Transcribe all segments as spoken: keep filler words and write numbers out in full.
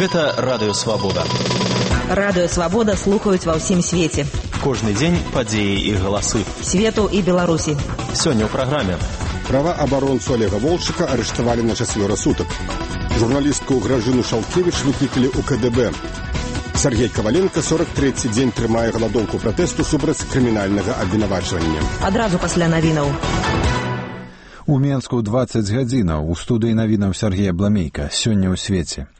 Гэта Радыё Свабода. Радыё Свабода слухаюць ва ўсім свеце. Кожны дзень падзеі і галасы. Свету і Беларусі. Сёння ў праграме. Праваабаронцу Олега Волчыка арыштавалі на чацвёра сутак. Журналістку Гражыну Шалкевіч выклікалі ў ка дэ бэ. Сергей Коваленко сорок трэці дзень трымае галадоўку пратэсту супраць крымінальнага абвінавачвання. Адразу пасля навінаў. У Менску дваццаць гадзінаў. У студыі навінаў Сергея Бламейка. Сёння ў свеце.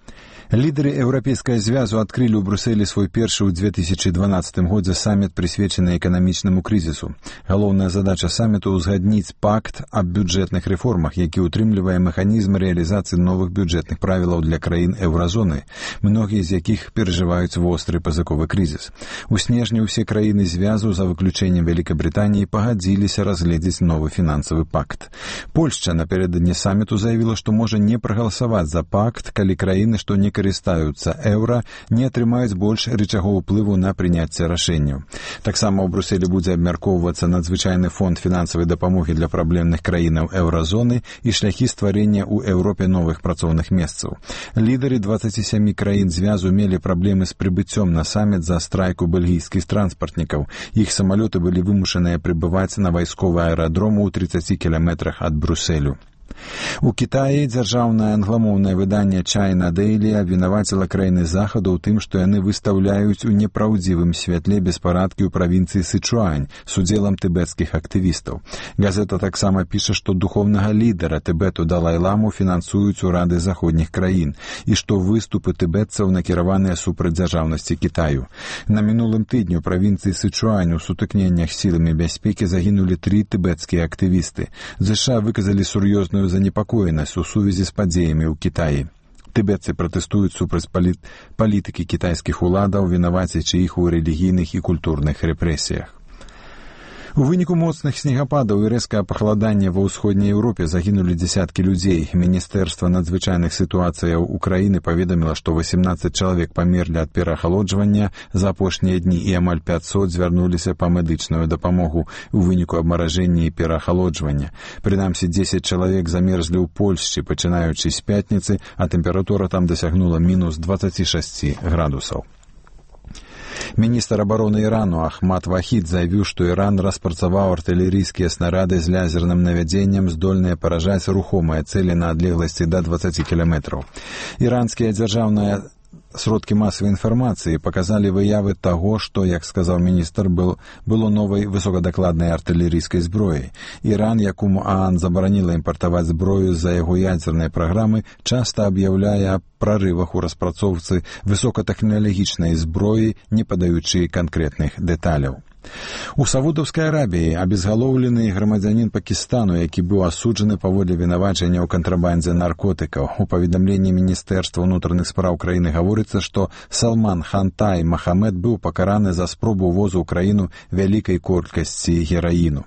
Лідары Еўрапейскага звязу адкрылі ў Брюсселі свой першы ў две тысячы дванаццатым годзе саміт, прысвечаны эканамічнаму крызісу. Галоўная задача саміту ўзгадніць пакт аб бюджэтных рэформах, які ўтрымлівае механізм рэалізацыі новых бюджэтных правілаў для краін еўразоны, многія з якіх перажываюць востры пазыковы крызіс. У снежні ўсе краіны звязу, за выключэннем Вялікабрытаніі, пагадзіліся разгледзець новы фінансавы пакт. Польшча напярэдадні саміту заявіла, што можа не прагаласаваць за пакт, калі краіны, што не карыстаюцца еўра, не атрымаюць больш рычагоў уплыву на прыняцце рашэнняў. Таксама ў Брюсселі будзе абмяркоўвацца надзвычайны фонд фінансавай дапамогі для праблемных краінаў еўразоны і шляхі стварэння ў Еўропе новых працоўных месцаў. Лідары дваццаці сямі краін звязу мелі праблемы з прыбыццём на саміт за страйку бельгійскіх транспартнікаў. Іх самалёты былі вымушаныя прыбываць на вайсковы аэрадром у трыццаці кіламетрах ад Брюсселю. У Кітаі дзяржаўнае англамоўнае выданне China Daily абвінаваціла краіны захаду ў тым, што яны выстаўляюць у непраўдзівым святле беспарадкі ў правінцыі Сычуань з удзелам тыбецкіх актывістаў. Газета таксама піша, што духоўнага лідара Тыбету Далай-ламу фінансуюць урады заходніх краін і што выступы тыбетцаў накіраваныя супраць дзяржаўнасці Кітаю. На мінулым тыдні ў правінцыі Сычуань у сутыкненнях сіламі бяспекі загінулі тры тыбецкія актывісты. ЗША выказалі сур'ёзную занепакоенасць у сувязі з падзеямі ў Кітаі. Тыбетцы пратэстуюць супраць паліт... палітыкі кітайскіх уладаў, вінавацячы іх у рэлігійных і культурных рэпрэсіях. У выніку моцных снегападаў і рэзкага пахаладання ва ўсходняй Еўропе загінулі дзесяткі людзей. Міністэрства надзвычайных сітуацыяў Украіны паведаміла, што васемнаццаць чалавек памерлі ад пераахалоджвання за апошнія дні і амаль пяцьсот звярнуліся па медычную дапамогу у выніку абмаражэння і пераахалоджвання. Прынамсі, дзесяць чалавек замерзлі ў Польшчы, пачынаючы з пятніцы, а тэмпература там дасягнула мінус дваццаць шэсць градусаў. Міністр абароны Ірану Ахмад Вахід заявіў, што Іран распрацаваў артылерыйскія снарады з лязерным навядзеннем, здольныя паражаць рухомыя цэлі на адлегласці да дваццаці кіламетраў. Іранскія дзяржаўныя сродкі масавай інфармацыі паказалі выявы таго, што, як сказаў міністр, был, было новай высокадакладнай артылерыйскай зброяй. Іран, якому ААН забараніла імпартаваць зброю з-за яго ядзернай праграмы, часта аб'яўляе аб прарывах у распрацоўцы высокатэхналагічнай зброі, не падаючы канкрэтных дэталяў. У Саудаўскай Арабіі абезгалоўлены грамадзянін Пакістану, які быў асуджаны паводле вінавачання ў кантрабандзе наркотыкаў. У паведамленні Міністэрства ўнутраных спраў краіны гаворыцца, што Салман Хантай Махамед быў пакараны за спробу ўвозу ў краіну вялікай колькасці гераіну.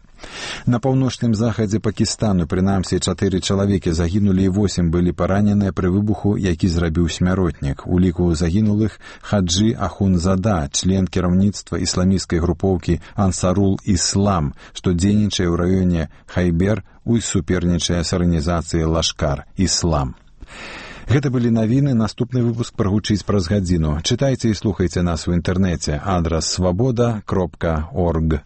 На паўночным захадзе Пакістану, прынамсі, чатыры чалавекі загінулі і восем былі параненыя пры выбуху, які зрабіў смяротнік. У ліку загінулых Хаджы Ахунзада, член кіраўніцтва ісламісцкай групоўкі Ансарул Іслам, што дзейнічае ў раёне Хайбер, у супернічае з арганізацыяй Лашкар Іслам. Гэта былі навіны. Наступны выпуск прагучыць праз гадзіну. Чытайце і слухайце нас у інтэрнэце. Адрас свабода кропка орг.